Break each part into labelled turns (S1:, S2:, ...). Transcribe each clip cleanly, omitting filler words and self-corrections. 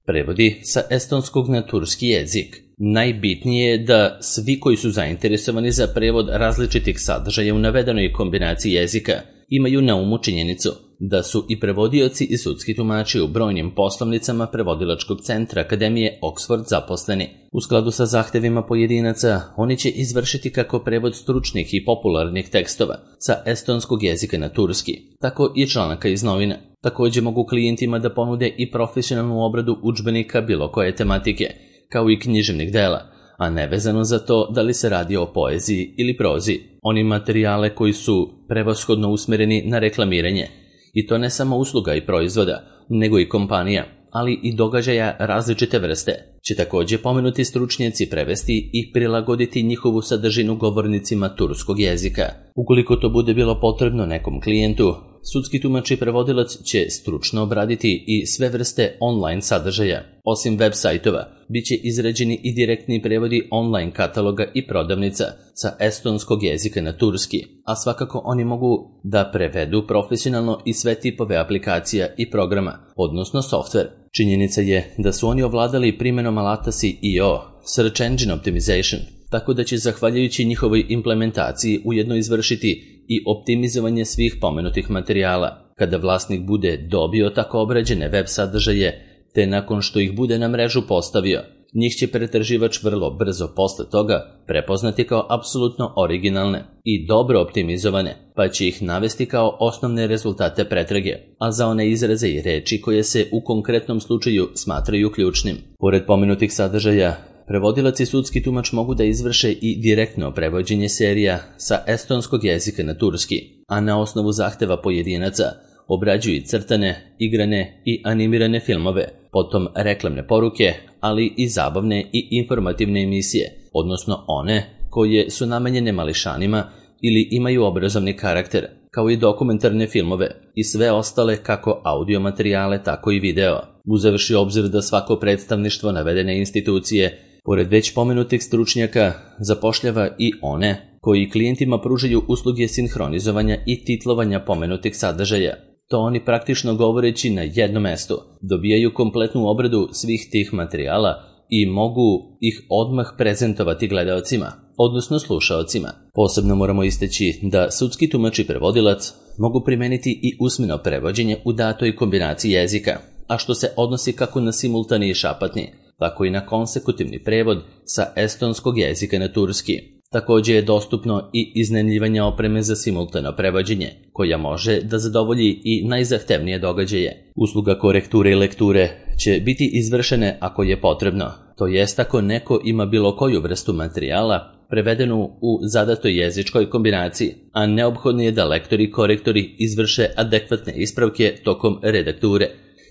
S1: Prevodi sa estonskog na turski jezik. Najbitnije je da svi koji su zainteresovani za prevod različitih sadržaja u navedenoj kombinaciji jezika imaju na umu činjenicu da su i prevodioci i sudski tumači u brojnim poslovnicama prevodilačkog centra Akademije Oxford zaposleni. U skladu sa zahtevima pojedinaca, oni će izvršiti kako prevod stručnih i popularnih tekstova sa estonskog jezika na turski, tako i članaka iz novina. Također mogu klijentima da ponude i profesionalnu obradu udžbenika bilo koje tematike, kao i književnih dela, a nevezano za to da li se radi o poeziji ili prozi. Oni materijale koji su prevashodno usmereni na reklamiranje, i to ne samo usluga i proizvoda, nego i kompanija, ali i događaja različite vrste, će također pomenuti stručnjaci prevesti i prilagoditi njihovu sadržinu govornicima turskog jezika. Ukoliko to bude bilo potrebno nekom klijentu, sudski tumač i prevodilac će stručno obraditi i sve vrste online sadržaja. Osim web sajtova, bit će izrađeni i direktni prevodi online kataloga i prodavnica sa estonskog jezika na turski, a svakako oni mogu da prevedu profesionalno i sve tipove aplikacija i programa, odnosno softver. Činjenica je da su oni ovladali primjenom alata SEO, Search Engine Optimization, tako da će zahvaljujući njihovoj implementaciji ujedno izvršiti i optimizovanje svih pomenutih materijala. Kada vlasnik bude dobio tako obrađene web sadržaje, te nakon što ih bude na mrežu postavio, njih će pretraživač vrlo brzo posle toga prepoznati kao apsolutno originalne i dobro optimizovane, pa će ih navesti kao osnovne rezultate pretrage, a za one izraze i reči koje se u konkretnom slučaju smatraju ključnim. Pored pomenutih sadržaja, prevodilac i sudski tumač mogu da izvrše i direktno prevođenje serija sa estonskog jezika na turski, a na osnovu zahteva pojedinaca obrađuju i crtane, igrane i animirane filmove, potom reklamne poruke, ali i zabavne i informativne emisije, odnosno one koje su namenjene mališanima ili imaju obrazovni karakter, kao i dokumentarne filmove i sve ostale kako audio materijale, tako i video. Uzevši obzir da svako predstavništvo navedene institucije, pored već pomenutih stručnjaka, zapošljava i one koji klijentima pružaju usluge sinhronizovanja i titlovanja pomenutih sadržaja. To oni praktično govoreći na jednom mestu dobijaju kompletnu obradu svih tih materijala i mogu ih odmah prezentovati gledaocima, odnosno slušaocima. Posebno moramo istaći da sudski tumač i prevodilac mogu primeniti i usmeno prevođenje u datoj kombinaciji jezika, a što se odnosi kako na simultani i šapatni, tako i na konsekutivni prevod sa estonskog jezika na turski. Također je dostupno i iznajmljivanje opreme za simultano prevođenje, koja može da zadovolji i najzahtevnije događaje. Usluga korekture i lekture će biti izvršene ako je potrebno, to jest ako neko ima bilo koju vrstu materijala prevedenu u zadatoj jezičkoj kombinaciji, a neophodno je da lektori i korektori izvrše adekvatne ispravke tokom redakture,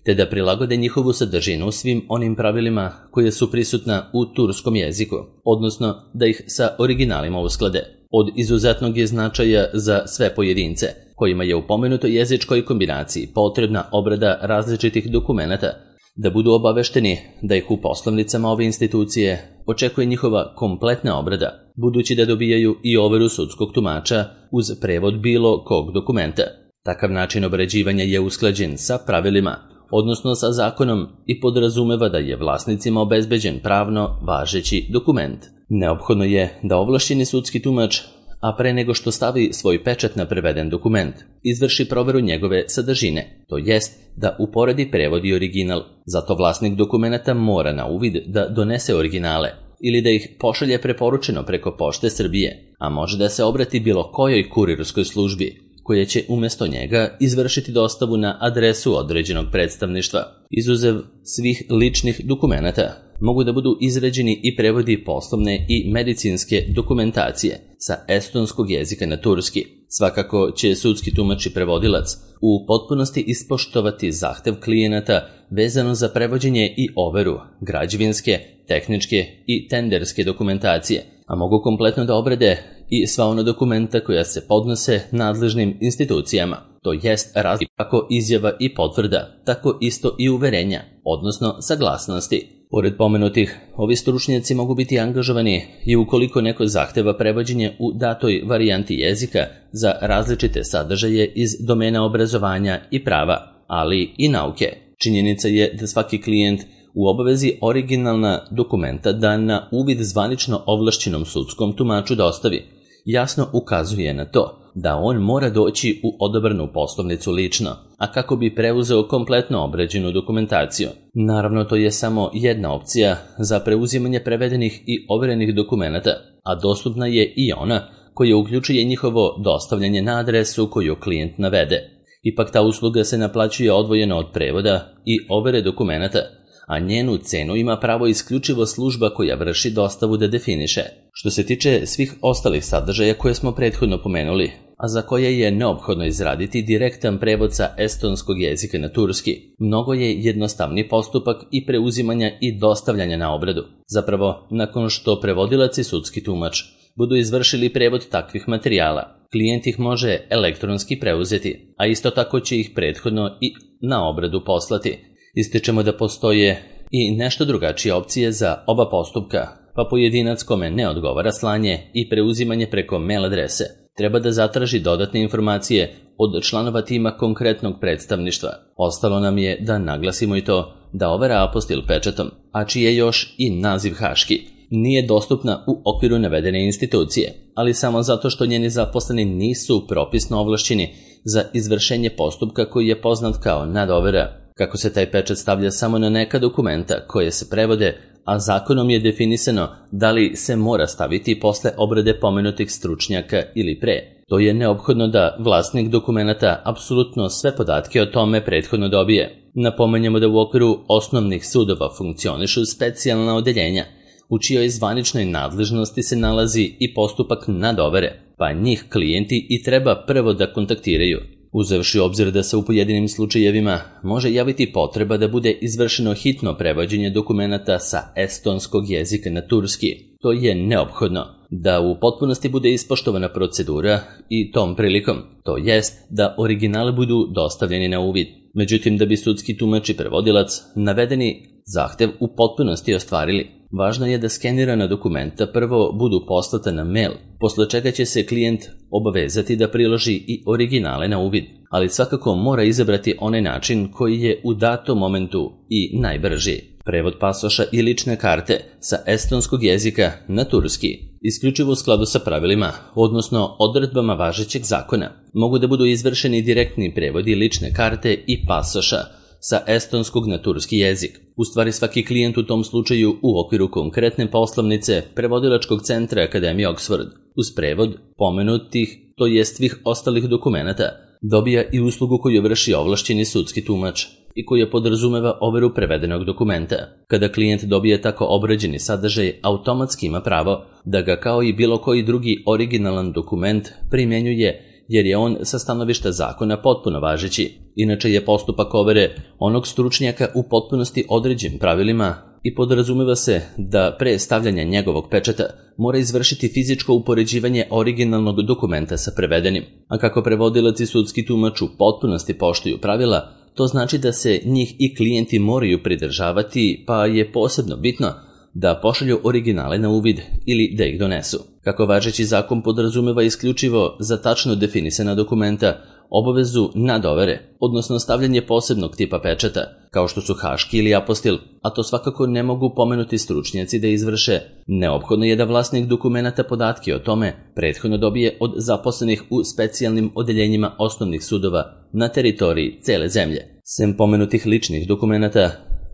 S1: te da prilagode njihovu sadržinu svim onim pravilima koje su prisutna u turskom jeziku, odnosno da ih sa originalima usklade. Od izuzetnog je značaja za sve pojedince, kojima je u pomenutoj jezičkoj kombinaciji potrebna obrada različitih dokumenata, da budu obavešteni da ih u poslovnicama ove institucije očekuje njihova kompletna obrada, budući da dobijaju i overu sudskog tumača uz prevod bilo kog dokumenta. Takav način obrađivanja je usklađen sa pravilima, odnosno sa zakonom, i podrazumeva da je vlasnicima obezbeđen pravno važeći dokument. Neophodno je da ovlašćeni sudski tumač, a pre nego što stavi svoj pečat na preveden dokument, izvrši proveru njegove sadržine, to jest da uporedi prevod i original. Zato vlasnik dokumenta mora na uvid da donese originale ili da ih pošalje preporučeno preko Pošte Srbije, a može da se obrati bilo kojoj kurirskoj službi, koja će umjesto njega izvršiti dostavu na adresu određenog predstavništva. Izuzev svih ličnih dokumenata, mogu da budu izrađeni i prevodi poslovne i medicinske dokumentacije sa estonskog jezika na turski. Svakako će sudski tumač i prevodilac u potpunosti ispoštovati zahtev klijenata vezano za prevođenje i overu građevinske, tehničke i tenderske dokumentacije, a mogu kompletno da obrade i sva ona dokumenta koja se podnose nadležnim institucijama, to jest kako izjava i potvrda, tako isto i uverenja, odnosno saglasnosti. Pored pomenutih, ovi stručnjaci mogu biti angažovani i ukoliko neko zahteva prevođenje u datoj varijanti jezika za različite sadržaje iz domena obrazovanja i prava, ali i nauke. Činjenica je da svaki klijent u obavezi originalna dokumenta da na uvid zvanično ovlašćenom sudskom tumaču dostavi, jasno ukazuje na to da on mora doći u odabranu poslovnicu lično, a kako bi preuzeo kompletno obrađenu dokumentaciju. Naravno, to je samo jedna opcija za preuzimanje prevedenih i overenih dokumenata, a dostupna je i ona koja uključuje njihovo dostavljanje na adresu koju klijent navede. Ipak ta usluga se naplaćuje odvojeno od prevoda i overe dokumenata, a njenu cenu ima pravo isključivo služba koja vrši dostavu da definiše. Što se tiče svih ostalih sadržaja koje smo prethodno pomenuli, a za koje je neophodno izraditi direktan prevod sa estonskog jezika na turski, mnogo je jednostavni postupak i preuzimanja i dostavljanja na obradu. Zapravo, nakon što prevodilac i sudski tumač budu izvršili prevod takvih materijala, klijent ih može elektronski preuzeti, a isto tako će ih prethodno i na obradu poslati. Ističemo da postoje i nešto drugačije opcije za oba postupka, pa pojedinac kome ne odgovara slanje i preuzimanje preko mail adrese treba da zatraži dodatne informacije od članova tima konkretnog predstavništva. Ostalo nam je da naglasimo i to da overa apostil pečatom, a čiji je još i naziv haški, nije dostupna u okviru navedene institucije, ali samo zato što njeni zaposleni nisu propisno ovlašćeni za izvršenje postupka koji je poznat kao nadovera. Kako se taj pečat stavlja samo na neka dokumenta koje se prevode, a zakonom je definisano da li se mora staviti posle obrade pomenutih stručnjaka ili pre. To je neophodno da vlasnik dokumenata apsolutno sve podatke o tome prethodno dobije. Napomenjemo da u okviru osnovnih sudova funkcionišu specijalna odeljenja, u čijoj zvaničnoj nadležnosti se nalazi i postupak nadovere, pa njih klijenti i treba prvo da kontaktiraju. Uzevši obzir da se u pojedinim slučajevima može javiti potreba da bude izvršeno hitno prevođenje dokumenata sa estonskog jezika na turski, to je neophodno da u potpunosti bude ispoštovana procedura i tom prilikom, to jest da originali budu dostavljeni na uvid. Međutim, da bi sudski tumač i prevodilac navedeni zahtev u potpunosti ostvarili, važno je da skenirana dokumenta prvo budu poslata na mail, posle čega će se klijent obavezati da priloži i originale na uvid, ali svakako mora izabrati onaj način koji je u datom momentu i najbrži. Prevod pasoša i lične karte sa estonskog jezika na turski, isključivo u skladu sa pravilima, odnosno odredbama važećeg zakona, mogu da budu izvršeni direktni prevodi lične karte i pasoša sa estonskog na turski jezik. U stvari, svaki klijent u tom slučaju u okviru konkretne poslovnice prevodilačkog centra Akademije Oxford uz prevod pomenutih, to jest svih ostalih dokumenata, dobija i uslugu koju vrši ovlašćeni sudski tumač i koja podrazumeva overu prevedenog dokumenta. Kada klijent dobije tako obrađeni sadržaj, automatski ima pravo da ga kao i bilo koji drugi originalan dokument primjenjuje, jer je on sa stanovišta zakona potpuno važeći. Inače je postupak overe onog stručnjaka u potpunosti određen pravilima i podrazumeva se da pre stavljanja njegovog pečata mora izvršiti fizičko upoređivanje originalnog dokumenta sa prevedenim. A kako prevodilac i sudski tumač u potpunosti poštuju pravila, to znači da se njih i klijenti moraju pridržavati, pa je posebno bitno da pošalju originale na uvid ili da ih donesu. Kako važeći zakon podrazumeva isključivo za tačno definisana dokumenta obavezu nadovere, odnosno stavljanje posebnog tipa pečata, kao što su haški ili apostil, a to svakako ne mogu pomenuti stručnjaci da izvrše, neophodno je da vlasnik dokumenata podatke o tome prethodno dobije od zaposlenih u specijalnim odeljenjima osnovnih sudova na teritoriji cele zemlje. Sem pomenutih ličnih dokumenata,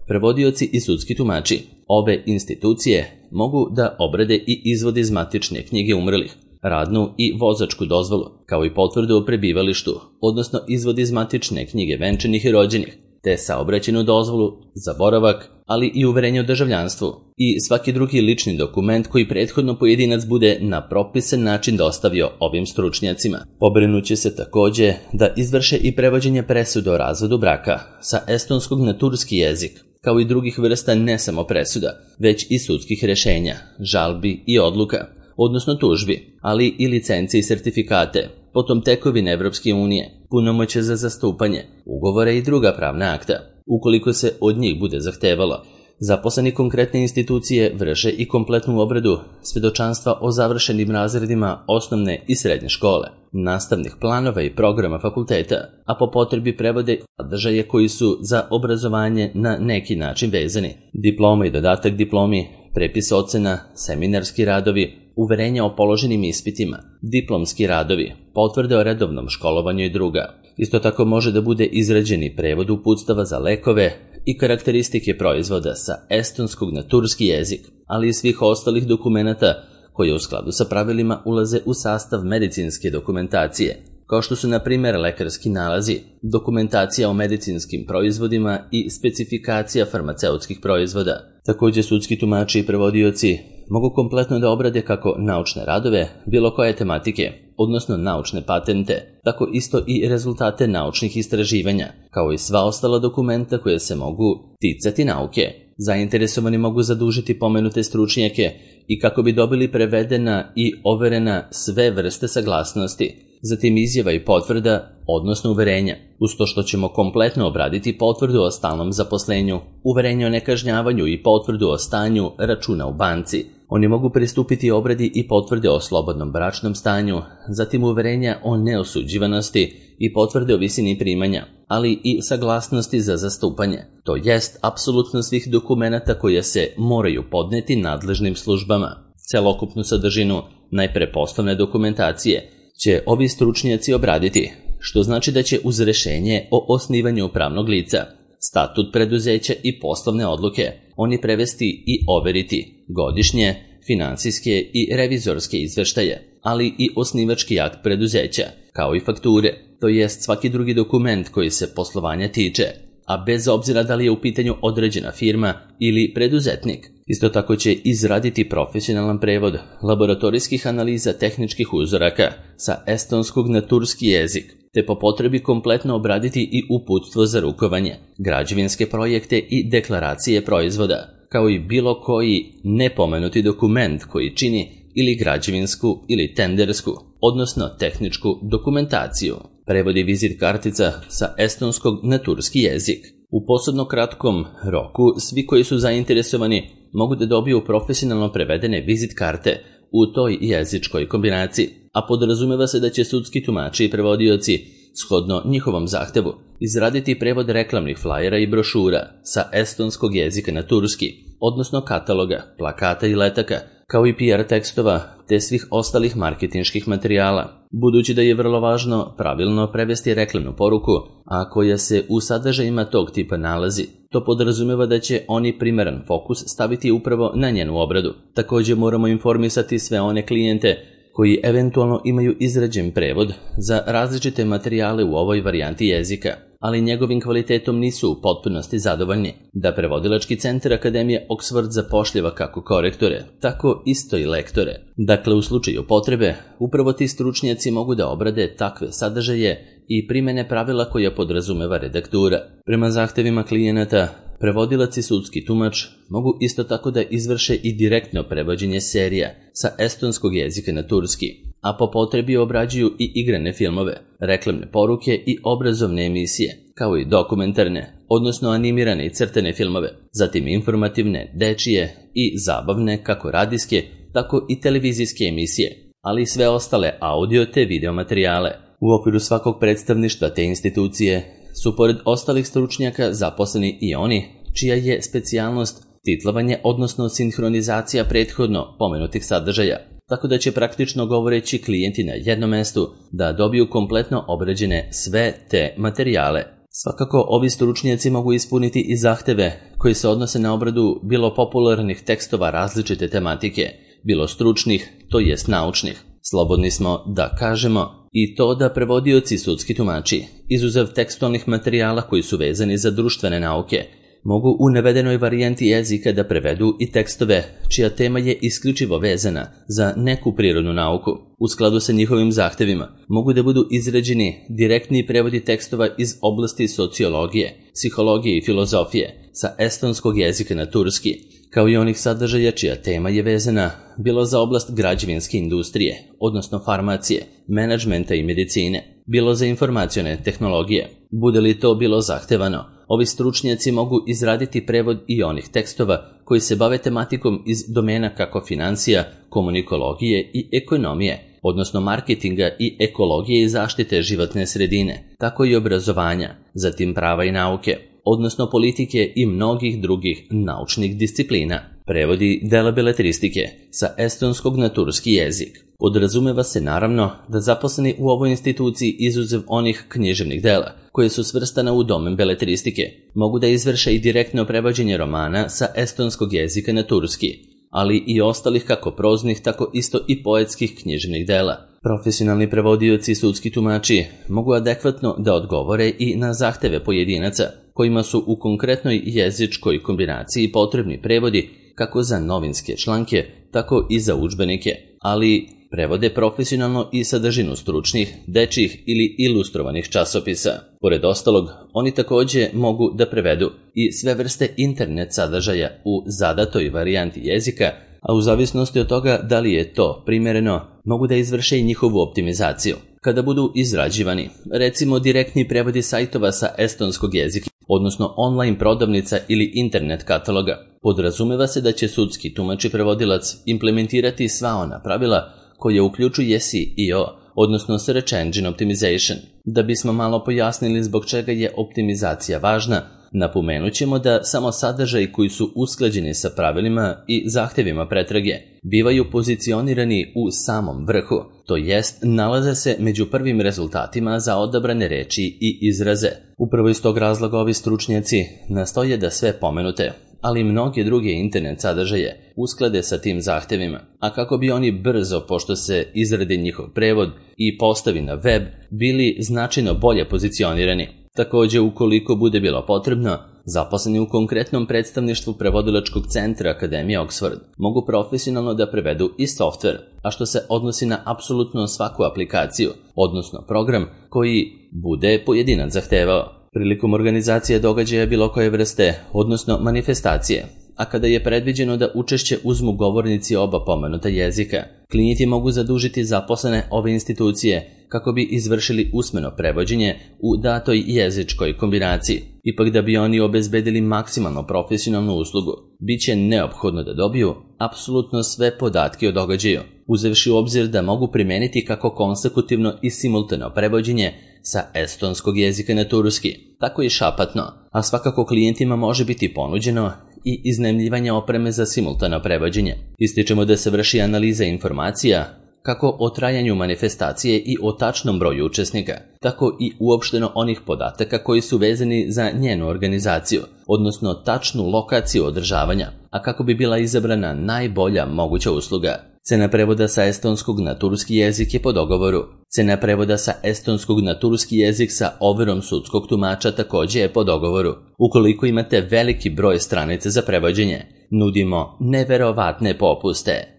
S1: prevodioci i sudski tumači ove institucije mogu da obrade i izvode iz matične knjige umrlih, radnu i vozačku dozvolu, kao i potvrdu o prebivalištu, odnosno izvod iz matične knjige venčanih i rođenih, te saobraćajnu dozvolu za boravak, ali i uverenje o državljanstvu i svaki drugi lični dokument koji prethodno pojedinac bude na propisan način dostavio ovim stručnjacima. Pobrinuće se takođe da izvrše i prevođenje presude o razvodu braka sa estonskog na turski jezik, kao i drugih vrsta ne samo presuda, već i sudskih rešenja, žalbi i odluka, odnosno tužbi, ali i licence i sertifikate, potom tekovine Evropske unije, punomoćje za zastupanje, ugovore i druga pravna akta, ukoliko se od njih bude zahtevalo. Zaposleni konkretne institucije vrše i kompletnu obradu svedočanstva o završenim razredima osnovne i srednje škole, nastavnih planova i programa fakulteta, a po potrebi prevode sadržaje koji su za obrazovanje na neki način vezani. Diploma i dodatak diplomi, prepis ocena, seminarski radovi, uverenja o položenim ispitima, diplomski radovi, potvrde o redovnom školovanju i druga. Isto tako može da bude izrađeni prevod uputstava za lekove i karakteristike proizvoda sa estonskog na turski jezik, ali i svih ostalih dokumenata koje u skladu sa pravilima ulaze u sastav medicinske dokumentacije, kao što su na primjer lekarski nalazi, dokumentacija o medicinskim proizvodima i specifikacija farmaceutskih proizvoda. Također sudski tumači i prevodioci mogu kompletno da obrade kako naučne radove, bilo koje tematike, odnosno naučne patente, tako isto i rezultate naučnih istraživanja, kao i sva ostala dokumenta koje se mogu ticati nauke. Zainteresovani mogu zadužiti pomenute stručnjake i kako bi dobili prevedena i overena sve vrste saglasnosti, zatim izjava i potvrda, odnosno uverenja, uz to što ćemo kompletno obraditi potvrdu o stalnom zaposlenju, uverenje o nekažnjavanju i potvrdu o stanju računa u banci. Oni mogu pristupiti obradi i potvrde o slobodnom bračnom stanju, zatim uverenja o neosuđivanosti i potvrde o visini primanja, ali i saglasnosti za zastupanje, to jest apsolutno svih dokumenata koje se moraju podneti nadležnim službama. Celokupnu sadržinu, najpre poslovne dokumentacije, će ovi stručnjaci obraditi, što znači da će uz rešenje o osnivanju pravnog lica, statut preduzeća i poslovne odluke oni prevesti i overiti godišnje, finansijske i revizorske izveštaje, ali i osnivački akt preduzeća, kao i fakture, to jest svaki drugi dokument koji se poslovanja tiče, a bez obzira da li je u pitanju određena firma ili preduzetnik. Isto tako će izraditi profesionalan prevod laboratorijskih analiza tehničkih uzoraka sa estonskog na turski jezik, te po potrebi kompletno obraditi i uputstvo za rukovanje, građevinske projekte i deklaracije proizvoda, kao i bilo koji nepomenuti dokument koji čini ili građevinsku ili tendersku, odnosno tehničku dokumentaciju. Prevodi vizit kartica sa estonskog na turski jezik. U posebno kratkom roku svi koji su zainteresovani mogu da dobiju profesionalno prevedene vizit karte u toj jezičkoj kombinaciji, a podrazumeva se da će sudski tumači i prevodioci, shodno njihovom zahtevu, izraditi prevod reklamnih flajera i brošura sa estonskog jezika na turski, odnosno kataloga, plakata i letaka, kao i PR tekstova te svih ostalih marketinških materijala. Budući da je vrlo važno pravilno prevesti reklamnu poruku, a koja se u sadržajima tog tipa nalazi, to podrazumeva da će oni primeran fokus staviti upravo na njenu obradu. Također moramo informisati sve one klijente koji eventualno imaju izrađen prevod za različite materijale u ovoj varijanti jezika, ali njegovim kvalitetom nisu u potpunosti zadovoljni, da prevodilački centar Akademije Oxford zapošljava kako korektore, tako isto i lektore. Dakle, u slučaju potrebe, upravo ti stručnjaci mogu da obrade takve sadržaje i primene pravila koja podrazumeva redaktura. Prema zahtevima klijenata, prevodilac i sudski tumač mogu isto tako da izvrše i direktno prevođenje serija sa estonskog jezika na turski, a po potrebi obrađuju i igrane filmove, reklamne poruke i obrazovne emisije, kao i dokumentarne, odnosno animirane i crtane filmove, zatim informativne, dečije i zabavne kako radijske, tako i televizijske emisije, ali i sve ostale audio te video materijale. U okviru svakog predstavništva te institucije su pored ostalih stručnjaka zaposleni i oni čija je specijalnost titlovanje, odnosno sinhronizacija prethodno pomenutih sadržaja, tako da će praktično govoreći klijenti na jednom mestu da dobiju kompletno obrađene sve te materijale. Svakako, ovi stručnjaci mogu ispuniti i zahteve koji se odnose na obradu bilo popularnih tekstova različite tematike, bilo stručnih, to jest naučnih. Slobodni smo da kažemo i to da prevodioci sudski tumači, izuzev tekstualnih materijala koji su vezani za društvene nauke, mogu u navedenoj varijanti jezika da prevedu i tekstove čija tema je isključivo vezana za neku prirodnu nauku. U skladu sa njihovim zahtevima mogu da budu izrađeni direktni prevodi tekstova iz oblasti sociologije, psihologije i filozofije sa estonskog jezika na turski, kao i onih sadržaja čija tema je vezana bilo za oblast građevinske industrije, odnosno farmacije, menadžmenta i medicine, bilo za informacione tehnologije. Bude li to bilo zahtevano, Ovi stručnjaci mogu izraditi prevod i onih tekstova koji se bave tematikom iz domena kako financija, komunikologije i ekonomije, odnosno marketinga i ekologije i zaštite životne sredine, tako i obrazovanja, zatim prava i nauke, odnosno politike i mnogih drugih naučnih disciplina. Prevodi dela beletristike sa estonskog na turski jezik. Podrazumeva se naravno da zaposleni u ovoj instituciji, izuzev onih književnih dela koje su svrstana u domen beletristike, mogu da izvrše i direktno prevođenje romana sa estonskog jezika na turski, ali i ostalih kako proznih, tako isto i poetskih književnih dela. Profesionalni prevodioci i sudski tumači mogu adekvatno da odgovore i na zahteve pojedinaca kojima su u konkretnoj jezičkoj kombinaciji potrebni prevodi kako za novinske članke, tako i za udžbenike, ali prevode profesionalno i sadržinu stručnih, dečjih ili ilustrovanih časopisa. Pored ostalog, oni takođe mogu da prevedu i sve vrste internet sadržaja u zadatoj varijanti jezika, a u zavisnosti od toga da li je to primereno, mogu da izvrše i njihovu optimizaciju. Kada budu izrađivani, recimo direktni prevodi sajtova sa estonskog jezika, odnosno online prodavnica ili internet kataloga, podrazumeva se da će sudski tumač i prevodilac implementirati sva ona pravila koje uključuje SEO, odnosno Search Engine Optimization. Da bismo malo pojasnili zbog čega je optimizacija važna, napomenut ćemo da samo sadržaji koji su usklađeni sa pravilima i zahtevima pretrage bivaju pozicionirani u samom vrhu, to jest nalaze se među prvim rezultatima za odabrane reči i izraze. Upravo iz tog razloga ovi stručnjaci nastoje da sve pomenute, ali mnoge druge internet sadržaje usklade sa tim zahtevima, a kako bi oni brzo, pošto se izradi njihov prevod i postavi na web, bili značajno bolje pozicionirani. Takođe, ukoliko bude bilo potrebno, zaposleni u konkretnom predstavništvu prevodilačkog centra Akademije Oxford mogu profesionalno da prevedu i softver, a što se odnosi na apsolutno svaku aplikaciju, odnosno program koji bude pojedinac zahtevao. Prilikom organizacije događaja bilo koje vrste, odnosno manifestacije, a kada je predviđeno da učešće uzmu govornici oba pomenuta jezika, klijenti mogu zadužiti zaposlene ove institucije kako bi izvršili usmeno prevođenje u datoj jezičkoj kombinaciji. Ipak da bi oni obezbedili maksimalno profesionalnu uslugu, bit će neophodno da dobiju apsolutno sve podatke o događaju, uzevši u obzir da mogu primeniti kako konsekutivno i simultano prevođenje sa estonskog jezika na turski, tako i šapatno, a svakako klijentima može biti ponuđeno i iznajmljivanje opreme za simultano prevođenje. Ističemo da se vrši analiza informacija kako o trajanju manifestacije i o tačnom broju učesnika, tako i uopšteno onih podataka koji su vezani za njenu organizaciju, odnosno tačnu lokaciju održavanja, a kako bi bila izabrana najbolja moguća usluga. Cena prevoda sa estonskog na turski jezik je po dogovoru. Cena prevoda sa estonskog na turski jezik sa overom sudskog tumača takođe je po dogovoru. Ukoliko imate veliki broj stranica za prevođenje, nudimo neverovatne popuste.